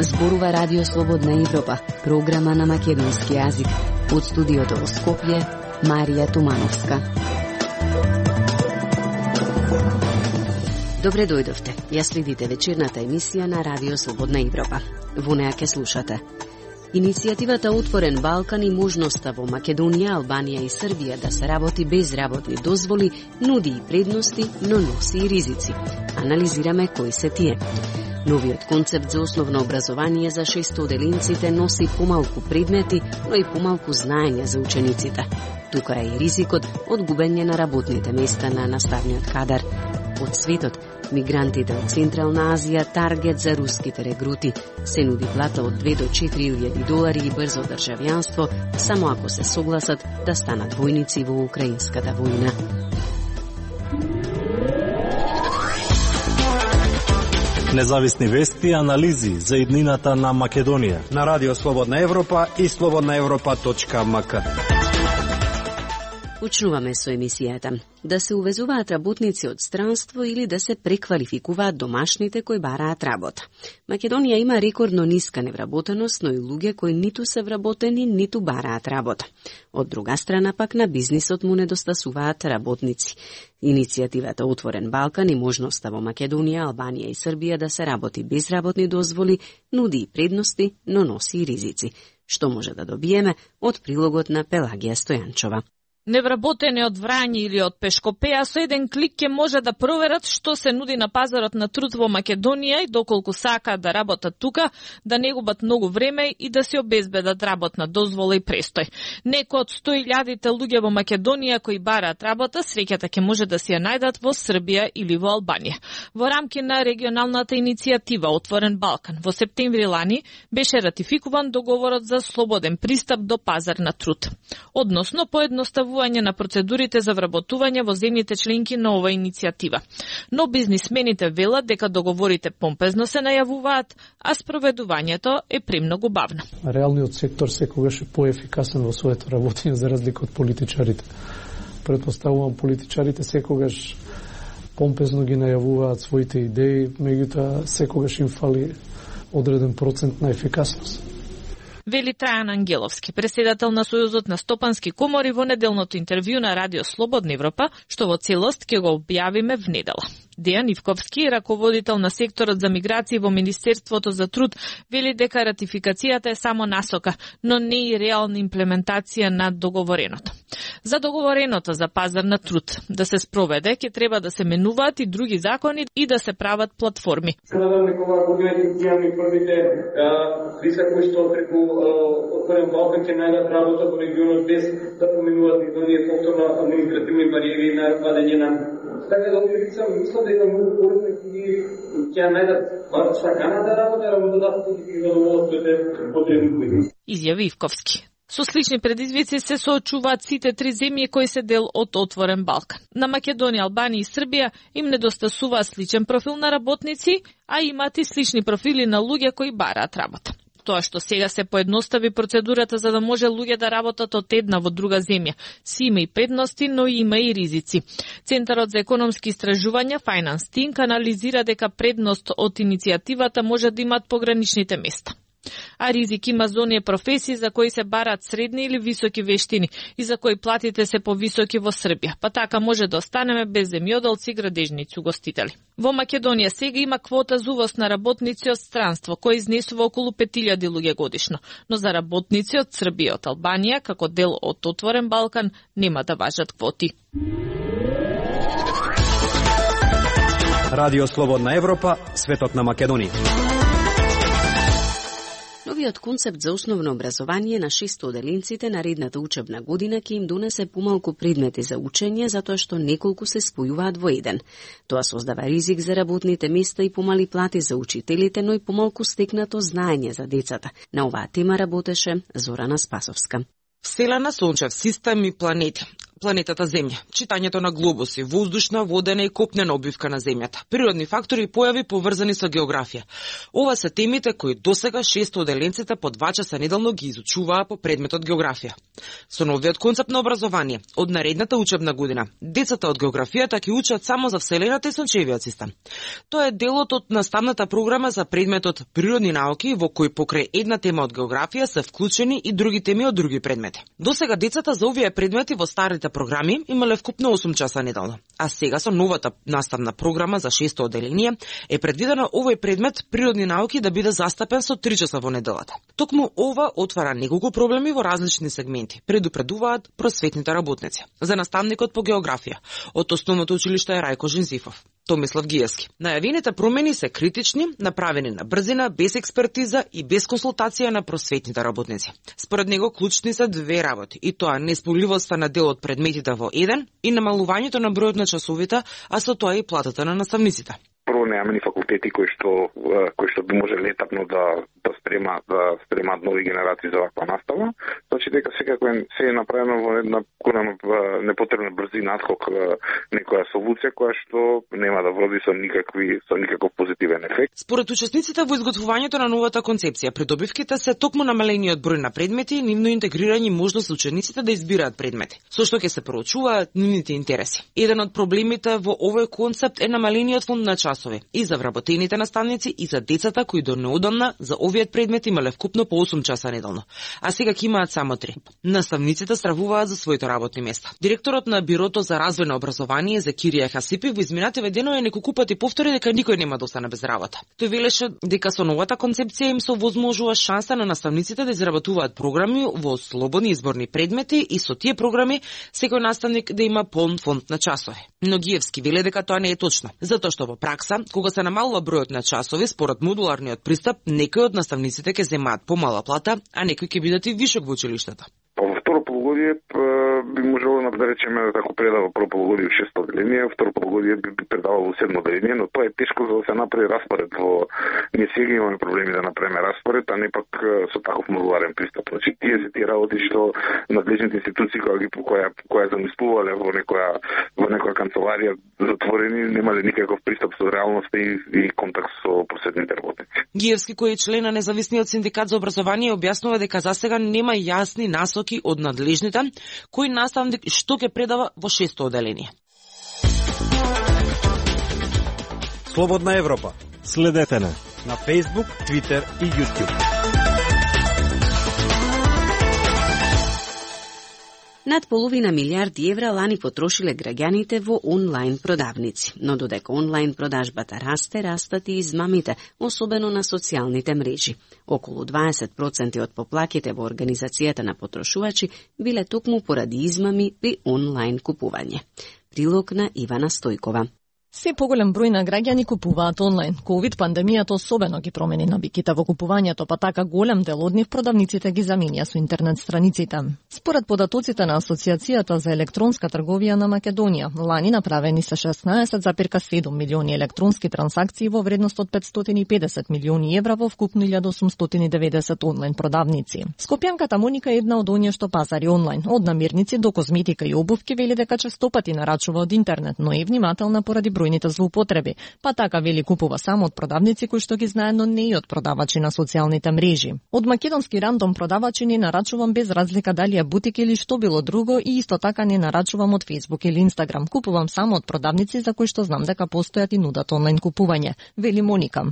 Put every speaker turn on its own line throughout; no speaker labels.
Зборува Радио Слободна Европа, програма на македонски јазик. Од студиото во Скопје, Марија Тумановска. Добре дојдовте. Ја следите вечерната емисија на Радио Слободна Европа. Во неа ке слушате. Иницијативата Отворен Балкан и можноста во Македонија, Албанија и Србија да се работи без работни дозволи нуди и предности, но носи и ризици. Анализираме кои се тие. Новиот концепт за основно образование за 600-деленците носи помалку предмети, но и помалку знаење за учениците. Тука е и ризикот од губење на работните места на наставниот кадар. Од светот, мигрантите од Централна Азија таргет за руските регрути. Се нуди плата од 2 до 4.000 долари и брзо државјанство, само ако се согласат да станат војници во украинската војна.
Независни вести и анализи за иднината на Македонија
на Радио Слободна Европа и slobodnaevropa.mk.
Почнуваме со емисијата. Да се увезуваат работници од странство или да се преквалификуваат домашните кои бараат работа. Македонија има рекордно ниска невработеност, но и луѓе кои ниту се вработени, ниту бараат работа. Од друга страна пак на бизнисот му недостасуваат работници. Иницијативата Отворен Балкан и можноста во Македонија, Албанија и Србија да се работи без работни дозволи нуди и предности, но носи и ризици. Што може да добиеме од прилогот на Пелагија Стојанчова.
Невработени од Врање или од Пешкопеја со еден клик ќе може да проверат што се нуди на пазарот на труд во Македонија и доколку сакаат да работат тука, да не губат многу време и да се обезбедат работна дозвола и престој. Некои од 100.000 луѓе во Македонија кои бараат работа, среќата ќе може да си ја најдат во Србија или во Албанија. Во рамки на регионалната иницијатива Отворен Балкан во септември лани беше ратификуван договорот за слободен пристап до пазар на труд, односно поедноставување на процедурите за вработување во земјите членки на оваа иницијатива. Но бизнисмените велат дека договорите помпезно се најавуваат, а спроведувањето е премногу бавно.
Реалниот сектор секогаш е поефикасен во своето работење за разлика од политичарите. Претпоставувам политичарите секогаш помпезно ги најавуваат своите идеи, меѓутоа секогаш им фали одреден процент на ефикасност.
Вели Трајан Ангеловски, председател на Сојузот на стопански комори во неделното интервју на Радио Слободна Европа, што во целост ќе го објавиме в недела. Дејан Ивковски, раководител на секторот за миграции во Министерството за труд, вели дека ратификацијата е само насока, но не и реална имплементација на договореното. За договореното за пазар на труд да се спроведе, ќе треба да се менуваат и други закони и да се прават платформи.
Надам некога годините имаме првите лица кои што преку Отворен Балкан ќе најдат работа во регионот без да поменуваат и оние повторно административни бариери на вадење на. Така да овие лица мислам дека многу корисно ќе најдат саканата работа, работодателите ќе ги задоволстват потребни.
Изјави Ивковски. Со слични предизвици се соочуваат сите три земји кои се дел од Отворен Балкан. На Македонија, Албанија и Србија им недостасува сличен профил на работници, а имаат и слични профили на луѓе кои бараат работа. Тоа што сега се поедностави процедурата за да може луѓе да работат од една во друга земја, си има и предности, но има и ризици. Центарот за економски истражувања Finance Think анализира дека предност од иницијативата може да имаат пограничните места. А ризик има за оние професии за кои се бараат средни или високи вештини и за кои платите се повисоки во Србија, па така може да останеме без земјоделци, градежници, угостители. Во Македонија сега има квота за увоз на работници од странство, кој изнесува околу 5.000 луѓе годишно, но за работници од Србија и од Албанија, како дел од Отворен Балкан, нема да важат квоти.
Радио Слободна Европа, светот на Македонија.
Новиот концепт за основно образование на 600-деленците наредната учебна година ќе им донесе помалку предмети за учење, затоа што неколку се спојуваат во еден. Тоа создава ризик за работните места и помали плати за учителите, но и помалку стекнато знаење за децата. На оваа тема работеше Зорана Спасовска.
Вселена, сончев систем и планети. Планетата Земја, читањето на глобуси, воздушна, водена и копнена обвивка на Земјата, природни фактори и појави поврзани со географија. Ова се темите кои досега 6 оделенците по 2 часа неделно ги изучуваа по предметот географија. Со новиот концепт на образование, од наредната учебна година, децата од географијата ќе учат само за Вселената и Сончевиот систем. Тоа е делот од наставната програма за предметот природни науки, во кој покрај една тема од географија се вклучени и други теми од други предмети. Досега децата за овие предмети во старите програми имале вкупно 8 часа неделно, а сега со новата наставна програма за 6 оделение е предвидено овој предмет природни науки да биде застапен со 3 часа во неделата. Токму ова отвара неколку проблеми во различни сегменти, предупредуваат просветните работници. За наставникот по географија од Основното училиште Рајко Жензифов, Томислав Гиевски. Најавените промени се критични, направени на брзина, без експертиза и без консултација на просветните работници. Според него клучни се две работи, и тоа неисполивоста на дел од предметите во еден и намалувањето на бројот на часовите, а со тоа и платата на наставниците.
Прво немаме ни факултети кои што би можеле етапно да спремаат нови генерации за ваква настава. Значи дека секако се е направено во една непотребна брзина, адхок некоја солуција која што нема да води со никаков позитивен ефект.
Според учесниците во изготвувањето на новата концепција, придобивките се токму намалениот број на предмети и нивно интегрирање можност за учениците да избираат предмети, со што ќе се проучуваат нивните интереси. Еден од проблемите во овој концепт е намалениот фонд на часови и за вработените наставници и за децата кои до неодамна за овиот предмет имале вкупно по 8 часа неделно, а сега ќе имаат само 3. Наставниците стравуваат за своите работни места. Директорот на Бирото за развој на образование Закирија Хасипи во изминативе денови неколку пати повтори дека никој нема да остане без работа. Тој велеше дека со новата концепција им се овозможува шанса на наставниците да изработуваат програми во слободни изборни предмети и со тие програми секој наставник да има полн фонд на часови. Но Гиевски веле дека тоа не е точно, затоа што во пракса, кога се намалува бројот на часови според модуларниот пристап, некои од наставниците ќе земаат помала плата, а некои ќе бидат и вишок во училиштата.
Во второ полугодие би можело да речеме како предава прво полугодие 6 оделение, второ полугодие би предавало 7 оделение, но тоа е тешко за да се направи распоред. Ние сега имаме проблеми да направиме распоред, а не пак со таков модуларен пристап. Значи тие работи што надлежните институции која замислувале во некоја канцеларија затворени, немале никаков пристап со реалноста и контакт со просветните работници.
Гиевски, кој е член на независниот синдикат за образование, објаснува дека засега нема јасни насоки од надлежните кој наставник што ќе предава во 6 оделение.
Слободна Европа.
Следете на
Facebook, Twitter и YouTube.
Над половина милиарди евра лани потрошиле граѓаните во онлайн продавници, но додека онлайн продажбата растат и измамите, особено на социјалните мрежи. Околу 20% од поплаките во организацијата на потрошувачи биле токму поради измами при онлайн купување. Прилог на Ивана Стојкова.
Се поголем број на граѓани купуваат онлайн. Ковид пандемијата особено ги промени навиките во купувањето, па така голем дел од нив продавниците ги заменија со интернет страниците. Според податоците на Асоциацијата за електронска трговија на Македонија, лани направени се 16,7 милиони електронски трансакции во вредност од 550 милиони евра во вкупно 1890 онлайн продавници. Скопјанката Моника е една од оние што пазари онлайн, од намирници до козметика и обувки, вели дека честопати нарачува од интернет, но е внимателна поради бројните злоупотреби, па така вели купува само од продавници кои што ги знае, но не и од продавачи на социјалните мрежи. Од македонски рандом продавачи не нарачувам без разлика дали е бутик или што било друго и исто така не нарачувам од Facebook или Instagram. Купувам само од продавници за кои што знам дека постојат и нудат онлайн купување, вели Моника.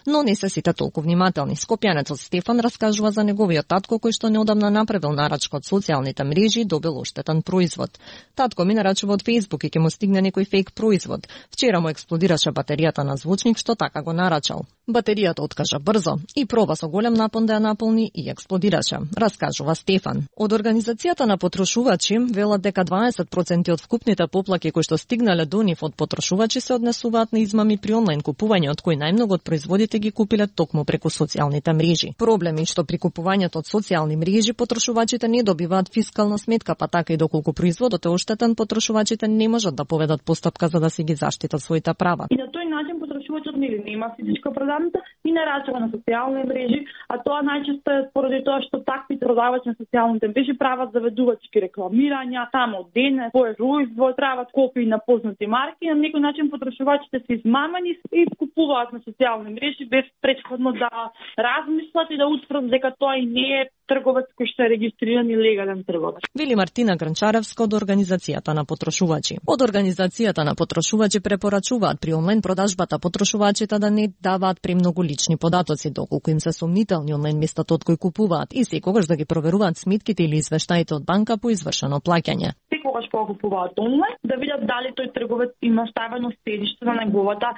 Но не се сите толку внимателни. Скопјанецот Стефан раскажува за неговиот татко кој што неодамна направил нарачка од социјалните мрежи и добил оштетен производ. Татко ми нарачува од Facebook и ќе му стигне некој фейк производ. Вчера му експлодираше батеријата на звучник што така го нарачал. Батеријата откажа брзо и проба со голем напон да ја наполни и експлодираше, раскажува Стефан. Од организацијата на потрошувачи велат дека 20% од вкупните поплаки кои што стигнале до нив од потрошувачи се однесуваат на измами при онлайн купување, од кои најмногу од производите ги купиле токму преку социјалните мрежи. Проблеми што при купувањето од социјални мрежи потрошувачите не добиваат фискална сметка, па така и доколку производот е оштетен, потрошувачите не можат да поведат постапка за да се ги заштитат заштитат своите права.
И на тој начин потрошувачот нема физичка продавница и не рачува на социјални мрежи, а тоа најчесто е поради тоа што такви продавачи на социјалните мрежи прават заведувачки рекламирања, само денес, производ, прават копии на познати марки, на некој начин потрошувачите се измамени и купуваат на социјални мрежи без претходно да размислат и да утврдат дека тоа и не е трговец кој што е регистриран и легален трговец.
Вели Мартина Гранчаревска од Организацијата на потрошувачи. Од Организацијата на потрошувачи препорачуваат при онлайн продажбата потрошувачите да не даваат премногу лични податоци, доколку им се сомнителни онлайн местата од кои купуваат и секогаш да ги проверуваат сметките или извештаите од банка по извршено плаќање.
Секогаш кога купуваат онлайн, да видат дали тој трговец има ставено седиште на неговата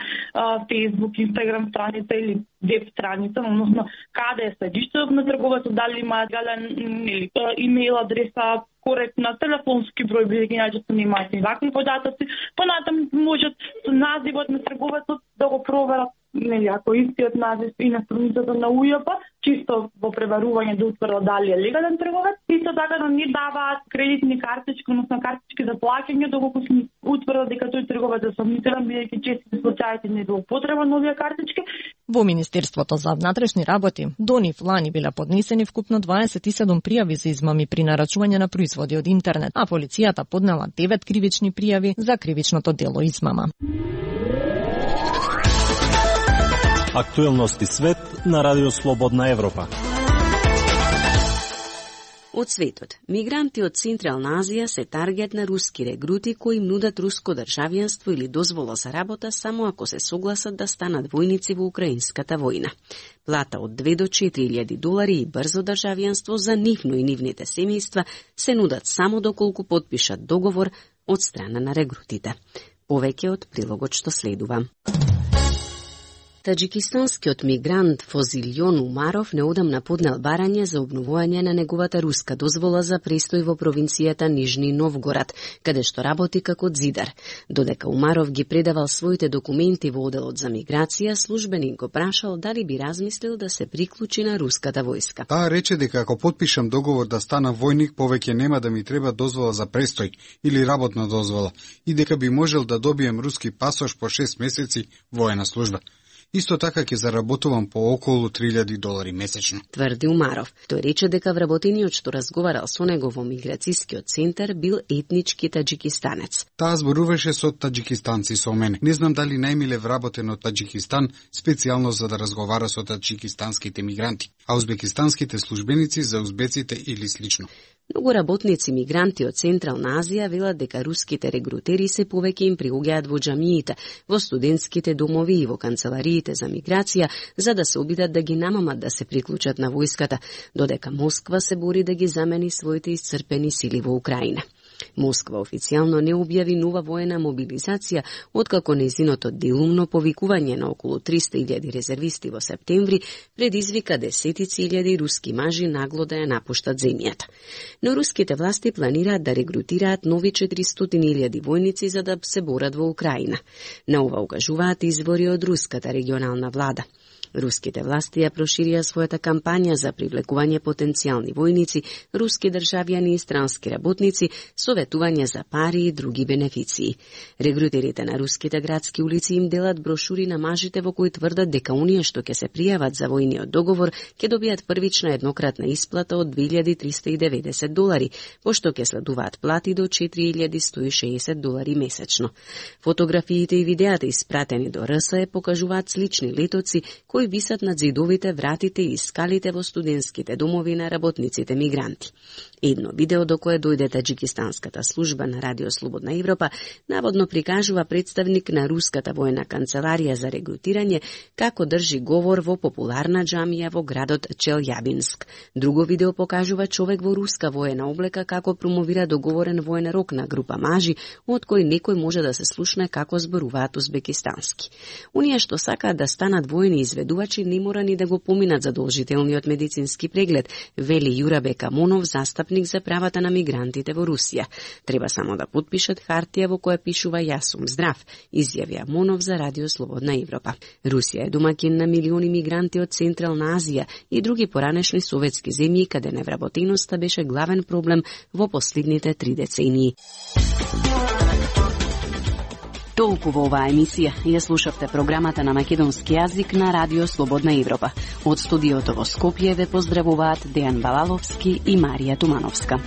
Facebook, Instagram страница или веб страница, односно каде е седиштето на трговецот, дали има гален или имейл адреса, коректна, телефонски број, бидејќи најчесто немаат и вакви податоци, понатаму можат со називот на трговецот да го проверат, нели, ако истиот назив и на страницата на УЈП, чисто во преварување да утврдат дали е легален трговец, исто така да не даваат кредитни картички, односно картички за плаќање, доколку се утврдат дека тој трговец е сомнителен, бидејќи често случаите не злоупотреба на овие картички.
Во Министерството за внатрешни работи до нив лани биле поднесени вкупно 27 пријави за измами при нарачување на производи од интернет, а полицијата поднела 9 кривични пријави за кривичното дело измама.
Актуелности свет на Радио Слободна Европа.
Од светот, мигранти од Централна Азија се таргет на руски регрути кои им нудат руско државјанство или дозвола за работа само ако се согласат да станат војници во украинската војна. Плата од 2 до 4.000 долари и брзо државјанство за нивно и нивните семејства се нудат само доколку потпишат договор од страна на регрутите. Повеќе од прилогот што следува. Таџикистанскиот мигрант Фозилјон Умаров неодамна поднел барање за обновување на неговата руска дозвола за престој во провинцијата Нижни Новгород, каде што работи како зидар. Додека Умаров ги предавал своите документи во оделот за миграција, службеник го прашал дали би размислил да се приклучи на руската војска.
Таа рече дека ако потпишам договор да стана војник, повеќе нема да ми треба дозвола за престој или работна дозвола и дека би можел да добием руски пасош по 6 месеци воена служба. Исто така ќе заработувам по околу 3.000 долари месечно.
Тврди Умаров. Тој рече дека вработениот што разговарал со него во миграцијскиот центар бил етнички таџикистанец.
Таа зборуваше со таџикистанци со мене. Не знам дали најмиле вработен од Таџикистан специјално за да разговара со таџикистанските мигранти, а узбекистанските службеници за узбеците или слично.
Многу работници мигранти од Централна Азија велат дека руските регрутери се повеќе им приуѓаат во џамиите, во студентските домови и во канцелариите за миграција, за да се обидат да ги намамат да се приклучат на војската, додека Москва се бори да ги замени своите исцрпени сили во Украина. Москва официјално не објави нова воена мобилизација, откако нејзиното делумно повикување на околу 300.000 резервисти во септември предизвика десетици илјади руски мажи нагло да ја напуштат земјата. Но руските власти планираат да регрутираат нови 400.000 војници за да се борат во Украина. На ова укажуваат извори од руската регионална влада. Руските власти ја проширија својата кампања за привлекување потенцијални војници, руски државјани и странски работници, советување за пари и други бенефиции. Регрутерите на руските градски улици им делат брошури на мажите во кои тврдат дека оние што ќе се пријават за војниот договор ќе добијат првична еднократна исплата од 2.390 долари, пошто ќе следуваат плати до 4.160 долари месечно. Фотографиите и видеата испратени до РСЕ покажуваат слични летоци кои висат над зидовите, вратите и скалите во студентските домови на работниците мигранти. Едно видео до кое дојде таџикистанската служба на Радио Слободна Европа наводно прикажува представник на руската воена канцеларија за регрутирање како држи говор во популарна џамија во градот Челјабинск. Друго видео покажува човек во руска воена облека како промовира договорен воен рок на група мажи, од кој некој може да се слушне како зборуваат узбекистански. Оние што сакаат да станат воени изведувачи не мора ни да го поминат задолжителниот медицински преглед, вели Јурабек Амонов, застапник за правата на мигрантите во Русија. Треба само да потпишат хартија во која пишува "Јас сум здрав", изјави Амонов за Радио Слободна Европа. Русија е домаќин на милиони мигранти од Централна Азија и други поранешни советски земји каде невработеноста беше главен проблем во последните 3 децении. Толку во оваа емисија ја слушавте програмата на македонски јазик на Радио Слободна Европа. Од студиото во Скопје ве поздравуваат Дејан Балаловски и Марија Тумановска.